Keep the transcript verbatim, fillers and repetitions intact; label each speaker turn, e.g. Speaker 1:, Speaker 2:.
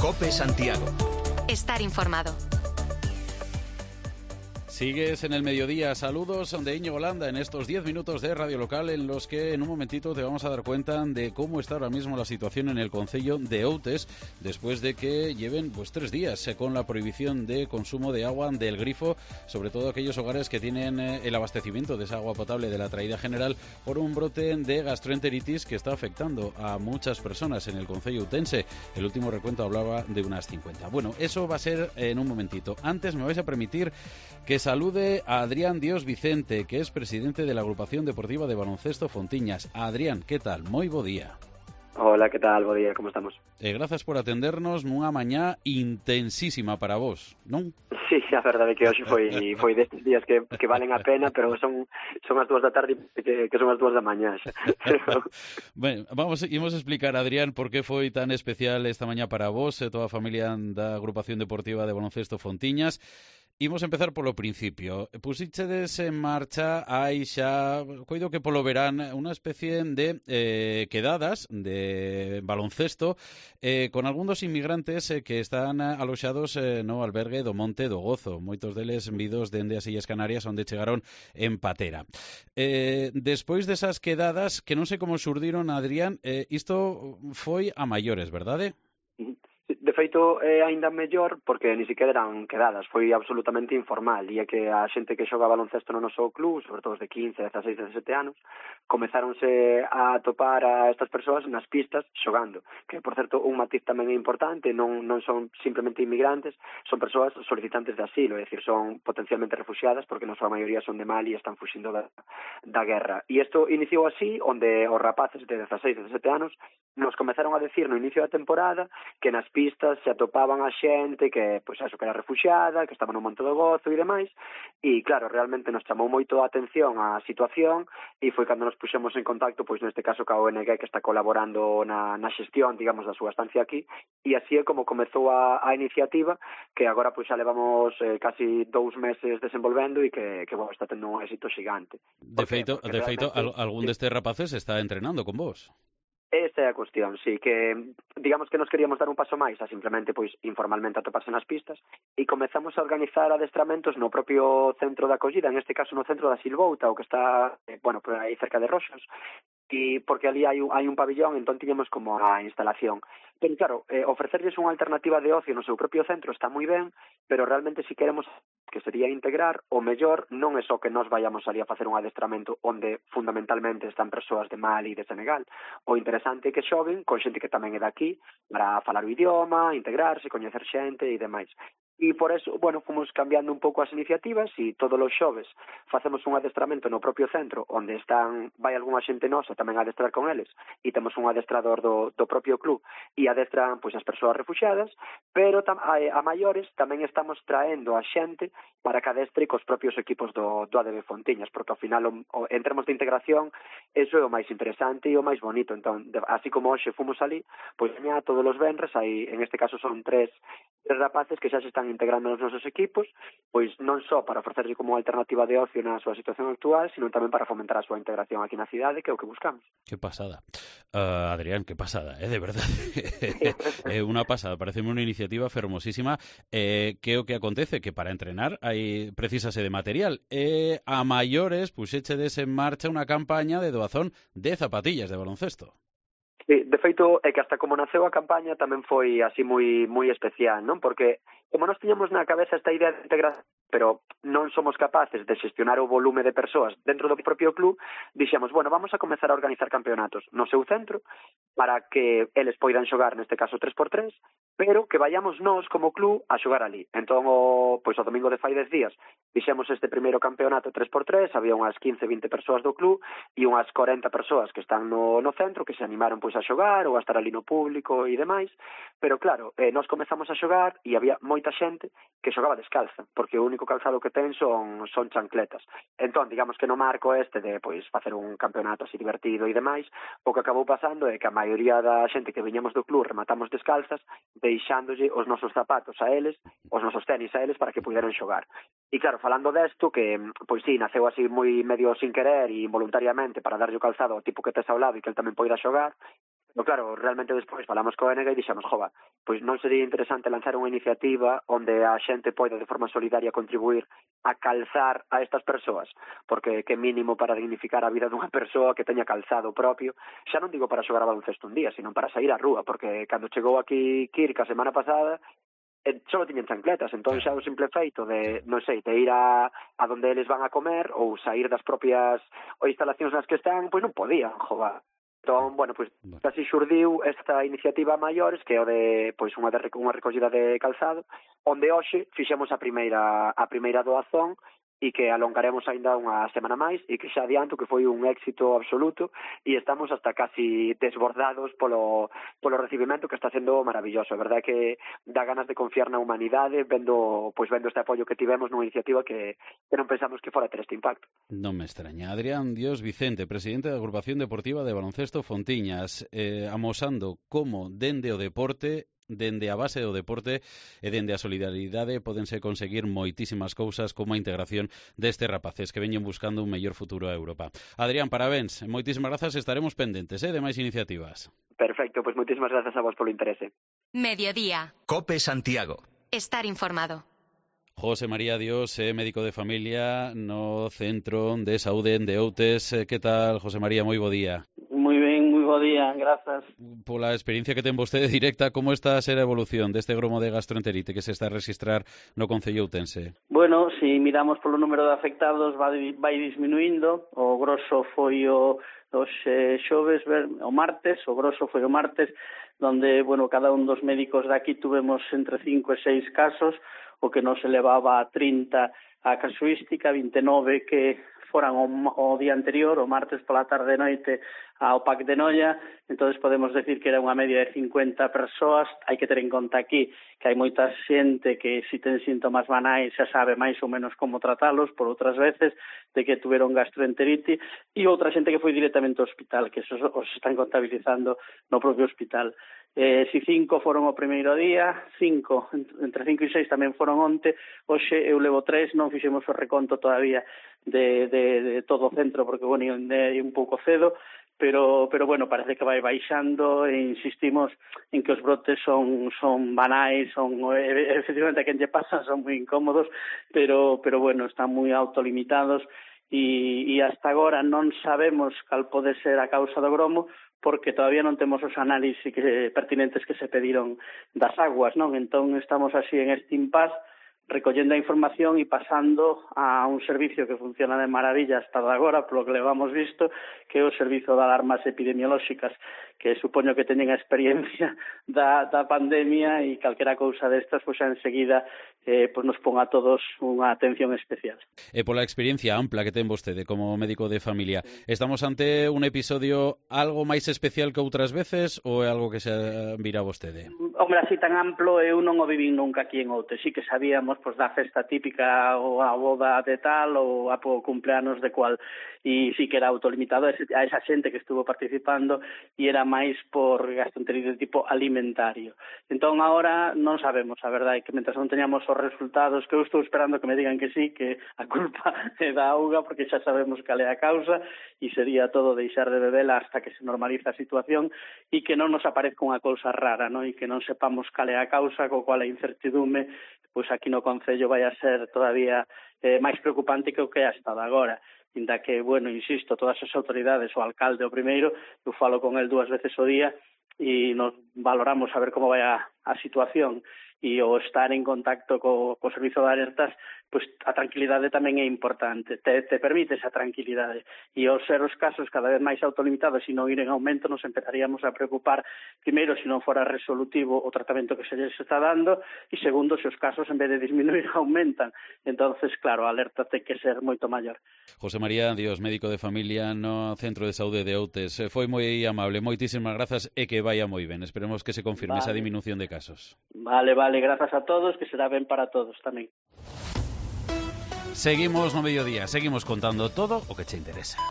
Speaker 1: COPE Santiago.
Speaker 2: Estar informado.
Speaker 3: Sigues en el mediodía. Saludos de Íñigo Landa en estos diez minutos de Radio Local en los que en un momentito te vamos a dar cuenta de cómo está ahora mismo la situación en el concello de Outes después de que lleven pues tres días con la prohibición de consumo de agua del grifo, sobre todo aquellos hogares que tienen el abastecimiento de esa agua potable de la traída general por un brote de gastroenteritis que está afectando a muchas personas en el concello utense. El último recuento hablaba de unas cincuenta. Bueno, eso va a ser en un momentito. Antes me vais a permitir que salude a Adrián Dios Vicente, que es presidente de la Agrupación Deportiva de Baloncesto Fontiñas. Adrián, ¿qué tal? Moi bo día.
Speaker 4: Hola, ¿qué tal? Bo día, como estamos?
Speaker 3: Eh, grazas por atendernos nunha mañá intensísima para vos, non?
Speaker 4: Sí, a verdade que hoxe foi foi destes días que, que valen a pena, pero son son as dúas da tarde que, que son as dúas da mañá xa.
Speaker 3: Ben, vamos, imos explicar, Adrián, por que foi tan especial esta mañá para vos e toda a familia da Agrupación Deportiva de Baloncesto Fontiñas. Imos empezar polo principio. Pusichedes en marcha hai xa, coido que polo verán, unha especie de eh, quedadas de baloncesto eh, con algún dos inmigrantes eh, que están aloxados eh, no albergue do Monte do Gozo. Moitos deles vidos dende as Illas Canarias onde chegaron en patera. Eh, despois desas quedadas, que non sei como xurdiron, Adrián, eh, isto foi a maiores, verdade?
Speaker 4: De feito, é aínda mellor porque ni siquiera eran quedadas, foi absolutamente informal, e é que a xente que xoga baloncesto no noso club, sobre todo de quince, dezaseis, dezasete anos, comezáronse a topar a estas persoas nas pistas xogando, que, por certo, un matiz tamén é importante, non, non son simplemente inmigrantes, son persoas solicitantes de asilo, é dicir, son potencialmente refugiadas porque na súa maioría son de Mali e están fuxindo da, da guerra. E isto iniciou así, onde os rapaces de dezaseis, dezasete anos nos comezaron a decir no inicio da temporada que nas pistas se atopaban a xente que, pois, eso, que era refuxiada, que estaba no Monte do Gozo e demais, e, claro, realmente nos chamou moito a atención a situación e foi cando nos puxemos en contacto, pois, neste caso, ca O N G, que está colaborando na, na xestión, digamos, da súa estancia aquí, e así é como comezou a, a iniciativa, que agora, pois, xa levamos eh, casi dous meses desenvolvendo e que, que bueno, está tendo un éxito xigante.
Speaker 3: De feito, de feito al, algún
Speaker 4: sí.
Speaker 3: destes rapaces está entrenando con vos.
Speaker 4: Esa é a cuestión, sí, que digamos que nos queríamos dar un paso máis a simplemente, pois, informalmente atoparse nas pistas e comezamos a organizar adestramentos no propio centro de acollida, en este caso no centro da Silvouta, o que está, eh, bueno, por aí cerca de Roxos, e porque ali hai un, hai un pabillón, entón tiñamos como a instalación. Pero claro, eh, ofrecerles unha alternativa de ocio no seu propio centro está moi ben, pero realmente si queremos que sería integrar, o mellor non é só que nós vayamos ali a facer un adestramento onde fundamentalmente están persoas de Mali e de Senegal. O interesante é que xoguen con xente que tamén é daqui para falar o idioma, integrarse, coñecer xente e demais. E por eso, bueno, fomos cambiando un pouco as iniciativas e todos os xoves facemos un adestramento no propio centro onde están, vai algunha xente nosa tamén a adestrar con eles e temos un adestrador do, do propio club e adestran pois as persoas refuxiadas, pero tam, a, a maiores tamén estamos traendo a xente para que adestre cos propios equipos do, do A D B Fontiñas, porque ao final, o, o, en termos de integración, eso é o máis interesante e o máis bonito. Entón, de, así como hoxe fomos ali, pois mañá todos os venres, aí, en este caso son tres, tres rapaces que xa se están integrando nos nosos equipos, pois non só para ofrecerlle como alternativa de ocio na súa situación actual, sino tamén para fomentar a súa integración aquí na cidade, que é o que buscamos.
Speaker 3: Que pasada. Uh, Adrián, que pasada, eh, de verdade. É unha pasada, parece unha iniciativa fermosísima. Eh, que o que acontece? Que para entrenar hai precisase de material. E a maiores puxechedes en marcha unha campaña de doazón de zapatillas de baloncesto.
Speaker 4: Sí, de feito, é que hasta como naceu a campaña tamén foi así moi moi especial, non? Porque como nós tiñamos na cabeza esta idea de integración, pero non somos capaces de xestionar o volume de persoas dentro do propio club, dixemos, bueno, vamos a comezar a organizar campeonatos no seu centro para que eles poidan xogar, neste caso tres por tres, pero que vayamos nós como club a xogar ali. Entón, o, pois o domingo de fai dez días, fixemos este primeiro campeonato tres por tres, había unhas quince, vinte persoas do club e unhas corenta persoas que están no, no centro, que se animaron pois a xogar ou a estar ali no público e demais, pero claro, eh, nós comezamos a xogar e había moita xente que xogaba descalza, porque o único calzado que ten son, son chancletas. Entón, digamos que no marco este de pois facer un campeonato así divertido e demais, o que acabou pasando é que a maioría da xente que viñamos do club rematamos descalzas, deixándolle os nosos zapatos a eles, os nosos tenis a eles para que puderan xogar. E claro, falando desto, que pois sí, naceu así moi medio sin querer e involuntariamente para darlle o calzado ao tipo que tes ao lado e que el tamén poida xogar, Pero claro, realmente despois falamos co N G e dixemos, jova, pois non sería interesante lanzar unha iniciativa onde a xente poida de forma solidaria contribuir a calzar a estas persoas, porque que mínimo para dignificar a vida dunha persoa que teña calzado propio, xa non digo para xogar a baloncesto un día, sino para sair á rúa, porque cando chegou aquí Kirk a semana pasada, só tiñen chancletas, entón xa o simple feito de, non sei, de ir a, a donde eles van a comer ou sair das propias ou instalacións nas que están, pois non podían, jova. Entón, bueno, pois así xurdiu esta iniciativa a maiores, que é o de, pois, unha, de, unha recollida de calzado, onde hoxe fixemos a primeira a primeira doazón e que alongaremos aínda unha semana máis e que xa adianto que foi un éxito absoluto e estamos hasta casi desbordados polo, polo recibimento que está sendo maravilloso. A verdade é que dá ganas de confiar na humanidade vendo, pois, vendo este apoio que tivemos nunha iniciativa que, que non pensamos que fora ter este impacto.
Speaker 3: Non me extraña. Adrián Dios Vicente, presidente da Agrupación Deportiva de Baloncesto Fontiñas, eh, amosando como dende o deporte dende a base do deporte e dende a solidaridade pódense conseguir moitísimas cousas como a integración destes rapaces que veñen buscando un mellor futuro a Europa. Adrián, parabéns, moitísimas grazas, estaremos pendentes eh, de máis iniciativas.
Speaker 4: Perfecto, pois moitísimas grazas a vos polo interese.
Speaker 2: Mediodía.
Speaker 1: Cope Santiago.
Speaker 2: Estar informado.
Speaker 3: José María Dios, eh, médico de familia no Centro de Saúde de Outes. Eh, que tal, José María? Moi bo día.
Speaker 5: Moi ben, moi bo día, grazas.
Speaker 3: Pola experiencia que ten vostede directa, como está a ser a evolución deste gromo de gastroenterite que se está a registrar no Concello outense?
Speaker 5: Bueno, se si miramos polo número de afectados vai, vai disminuindo. O grosso foi o os eh, xoves, o martes, o grosso foi o martes, donde, bueno, cada un dos médicos de aquí tuvemos entre cinco e seis casos, o que nos elevaba a trinta a casuística, vinte e nove que foran o, o día anterior, o martes pola tarde e noite ao P A C de Noia. Entonces podemos decir que era unha media de cincuenta persoas. Hai que ter en conta aquí que hai moita xente que se ten síntomas banais xa sabe máis ou menos como tratalos, por outras veces de que tuveron gastroenterite, e outra xente que foi directamente ao hospital, que esos os están contabilizando no propio hospital. Eh, si cinco foron o primeiro día, cinco, entre cinco e seis tamén foron onte, hoxe eu levo tres, non fixemos o reconto todavía de, de, de todo o centro, porque, bueno, é un pouco cedo, pero, pero bueno, parece que vai baixando e insistimos en que os brotes son, son banais, son, efectivamente, a quen lle pasan, son moi incómodos, pero, pero bueno, están moi autolimitados e, e hasta agora non sabemos cal pode ser a causa do gromo, porque todavía non temos os análisis que, pertinentes que se pediron das aguas, non? Entón estamos así en este impasse, recollendo a información e pasando a un servicio que funciona de maravilla hasta agora, polo que levamos visto, que é o Servizo de Alarmas Epidemiolóxicas, que supoño que teñen a experiencia da, da pandemia e calquera cousa destas, pois xa enseguida eh, pois nos pon a todos unha atención especial.
Speaker 3: E pola experiencia ampla que ten vostede como médico de familia, estamos ante un episodio algo máis especial que outras veces ou é algo que se vira vostede?
Speaker 5: Hombre, así tan amplo eu non o vivín nunca aquí en Outes. Sí que sabíamos pois da festa típica ou a boda de tal ou a po cumpleanos de cual, e sí que era autolimitado a esa xente que estuvo participando e era máis por gastroenterite de tipo alimentario. Entón, agora non sabemos, a verdade, que mentras non teñamos os resultados, que eu estou esperando que me digan que sí, que a culpa é da auga, porque xa sabemos cal é a causa, e sería todo deixar de bebela hasta que se normaliza a situación e que non nos aparezca unha cousa rara, non? E que non sepamos cal é a causa, co cual a incertidume, pois aquí no Concello vai a ser todavía eh, máis preocupante que o que é hasta agora. Inda que, bueno, insisto, todas as autoridades, o alcalde o primeiro, eu falo con el dúas veces o día e nos valoramos a ver como vai a, a situación, e o estar en contacto co, co servizo de alertas, pois a tranquilidade tamén é importante, te, te permite esa tranquilidade, e ao ser os casos cada vez máis autolimitados e non ir en aumento, nos empezaríamos a preocupar, primeiro, se non fora resolutivo o tratamento que se les está dando, e segundo, se os casos en vez de disminuir aumentan. Entonces, claro, a alerta ten que ser moito maior.
Speaker 3: José María Dios, médico de familia no Centro de Saúde de Outes, foi moi amable, moitísimas grazas e que vaya moi ben. Esperemos que se confirme vale. esa disminución de casos.
Speaker 5: Vale, vale, grazas a todos, que será ben para todos tamén.
Speaker 3: Seguimos no mediodía, seguimos contando todo o que che interesa.